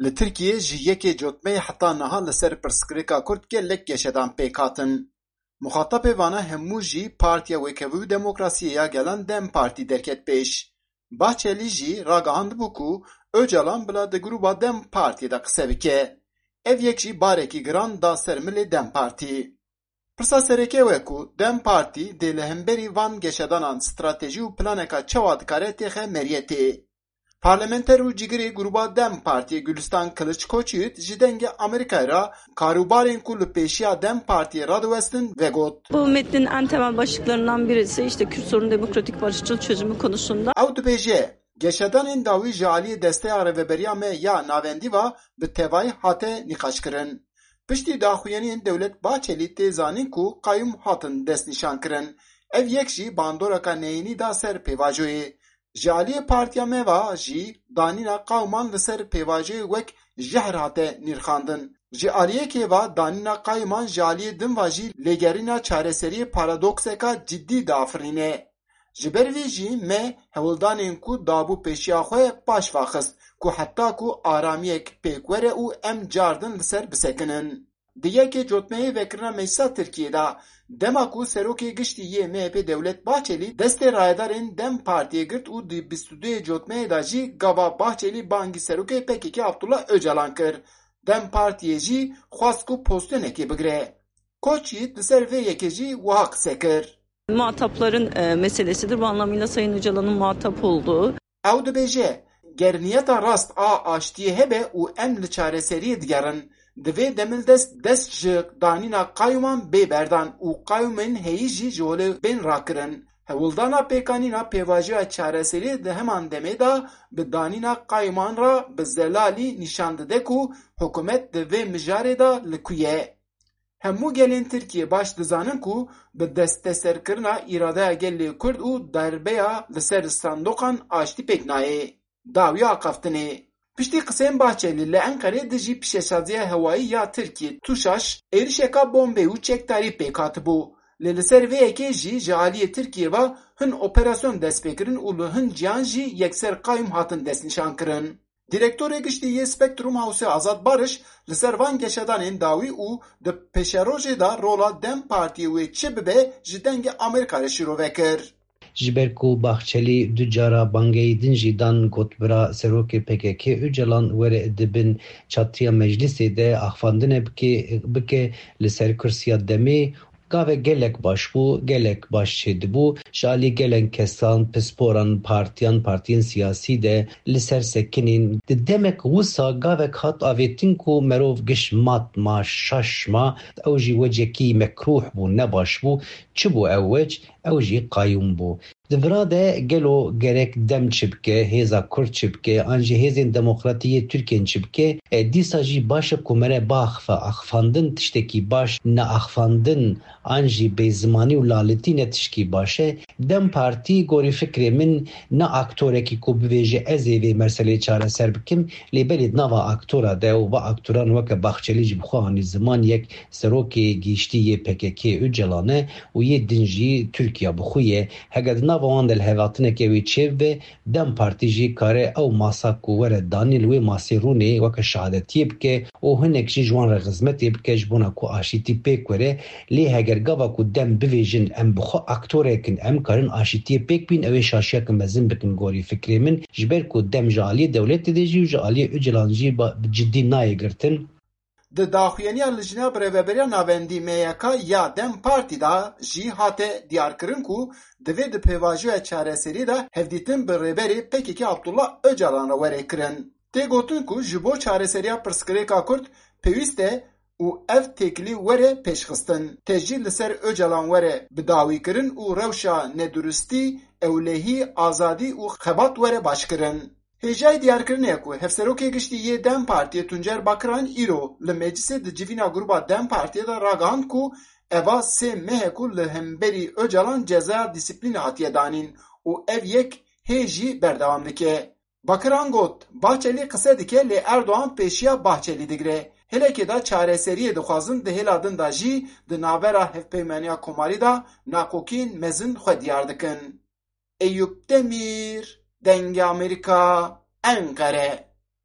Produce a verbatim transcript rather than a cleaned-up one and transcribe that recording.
Li Tirkiyê ji yekê Cotmeyê heta niha li ser pirsgirêka Kurd gelek geşedan pêk hatin. Muxatabê vana hemû jî Partiya Wêkevî û Demokrasiyê ya Gelan DEM Partî derket pêş. Bahçelî jî ragihand bû ku Ocalan bila di grûba DEM Partiyê de qise bike. Ev yek jî barekî giran da ser milê DEM Partî. Pirsa sereke we ku DEM Partî dê li hemberî van geşedanan stratejî û planeka çawa dikare têxe meriyetê. Parlamenter û cigirê grûba DEM Partiyê Gülistan Kılıç Koçyiğit ji Dengê Amerîkayê re karûbarên ku li pêşiya DEM Partiyê radiwestin vegot. Bu metnin en temel başlıklarından birisi işte Kürt sorunu demokratik barışçıl çözümü konusunda. Ew dibêje, geşedanên dawî ji aliyê Desteya Rêveberiya me ya Navendî ve bi tevayî hate nîqaşkirin. Piştî daxuyaniyên Dewlet Bahçelî tê zanîn ku qayûm hatin destnîşankirin. Ev yek jî bandoreka neyînî da ser pêvajoyê. Ji aliyê partiya me ve jî danîna qayûman li ser pêvajoyê wek jehr hate nîrxandin. Ji aliyekê ve danîna qayûman ji aliyê din ve jî lêgerîna çareseriyê paradokseka cidî diafirîne. Ji ber vê jî me hewldanên ku dabû pêşiya xwe paş ve xist ku heta ku aramiyek pêk were û em cardin li ser bisekinin. Di yekê Cotmeyê vekirina Meclisa Tirkiyê de, dema ku Serokê Giştî yê M H P Dewlet Bahçelî destê rayedarên DEM Partiyê girt û di bîst û duyê Cotmeyê de jî gava Bahçelî bangî Serokê P K K Abdullah Ocalan kir, DEM Partiyê jî xwest ku pozisyonekê bigire. Koç Yiğit li ser vê yekê jî wiha qise kir. Muhatapların e, meselesidir. Bu anlamıyla Sayın Öcalan'ın muhatap olduğu. Ew dibêje, ger niyeta rast a aştiyê hebe û em li çareseriyê digerin, divê demildest dest ji danîna qayûman bê berdan û qayûmên heyî jî ji holê bên rakirin. Hewldana pêkanîna pêvajoya çareseriyê di heman demê de bi danîna qayûman re bi zelalî nîşan dide ku hikûmet di vê mijarê de li ku ye. Hemû gelên Tirkiyê baş dizanin ku bi desteserkirina îradeya gelê Kurd û darbeya li ser sandoqan aştî pêk nayê. Dawiya axaftinê. Piştî qiseyên Bahçelî li Enqerê dijî pîşesaziya hewayî ya Tirkiyê, TUŞAŞ, êrişeka bombê û çekdarî pêk hatibû. Lê li ser vê yekê jî ji aliyê Tirkiyê ve hin operasyon dest pê kirin û li hin ciyan jî yekser qayûm hatin destnîşankirin. Direktorê Giştî yê Spektrum Hawsê Azad Bariş li ser van geşedanên dawî û di pêşerojê de rola DEM Partiyê wê çi bibe ji Dengê Amerîka re şîrove kir. Ji ber ku Bahçelî du cara bangeyî din jî dan, got bira Serokê P K K Ocalan were di bin çatriya meclisê de axfandine bike, bike li ser kursiya DEMê. Gavek gelek baş bû, gelek baş çêdibû. Ji alî gelek kesan, pisporan, partiyan, partiyên siyasî de li ser sekinîn. Di demek wisa gavek hat avêtin ku merov giş mat ma, şaş ma, ew jî wecekî mekrûh bû, ne baş bû. Çi bû ew wec? Ew jî qayûm bû. Di vira de gelo gerek DEM çi bike, hêza Kurd çi bike, an jî hêzên demokratî yê Tirkiyên çi bike? E, dîsa jî baş e ku mere biaxife, axifandin tiştekî baş, neaxifandin an jî bêzimanî û lalitî ne tişkî baş e. DEM Partî gorî fikrê min ne aktorekî ku bivêje ez ê vê meseleyê çareser bikim, lê belê di nava aktora de û va aktoran weke Bahçelî jî bi xwe anî ziman yek serokê giştî yê P K K Ocalan e û yê din jî Tirkiya bi xwe ye. Heger di nava wan de lihevhatineke wê çêbibe, DEM Partî jî kare ew masa ku were danî li wê masê rûnê weke şehadetiyê bike û hinek jî ji wan re xizmetê bike ji bona ku aşîtî pêk were. Lê heger gava ku DEM bivêjin em bi xwe aktorek in, em karin aşîtiyê pêk bîn, ew ê şaşiyeke mezin bikin gorî fikrê min. Ji ber ku DEM ji aliyê dewletê de jî û ji aliyê Ocalan jî ba-, bi cidî nayê girtin. Di daxuyaniya Lijna Birêveberiya Navendî M Y K ya DEM Partî de jî hate diyarkirin ku divê di pêvajoya çareseriyê de hevdîtin bi Rêberê P K K Abdullah Ocalan re were kirin. Tê gotin ku ji bo çareseriya pirsgirêka Kurd pêwîst e û ev têkilî were pêşxistin. Tê jî li ser Ocalan were bidawîkirin û rewşa neduristî, ewlehî, azadî û xebat were başkirin. Hêjayî diyarkirinê ye ku Hevserokê Giştî yê DEM Partiyê Tuncer Bakiran îro li meclisê di civîna grûba DEM Partiyê de ragihand ku eva sê meh e ku li hemberî Ocalan cezaya dîsîplînê hatiye danîn û ev yek hê jî berdewam dike. Bakiran got, Bahçelî qise dike lê Erdogan pêşiya Bahçelî digire. Hêlekê de çareseriyê dixwazin, di hêla din de jî di navbera Hevpeymaniya Komarî de nakokiyên mezin xwe diyar dikin. Eyûp Demîr, Dengê Amerîka, Enqere.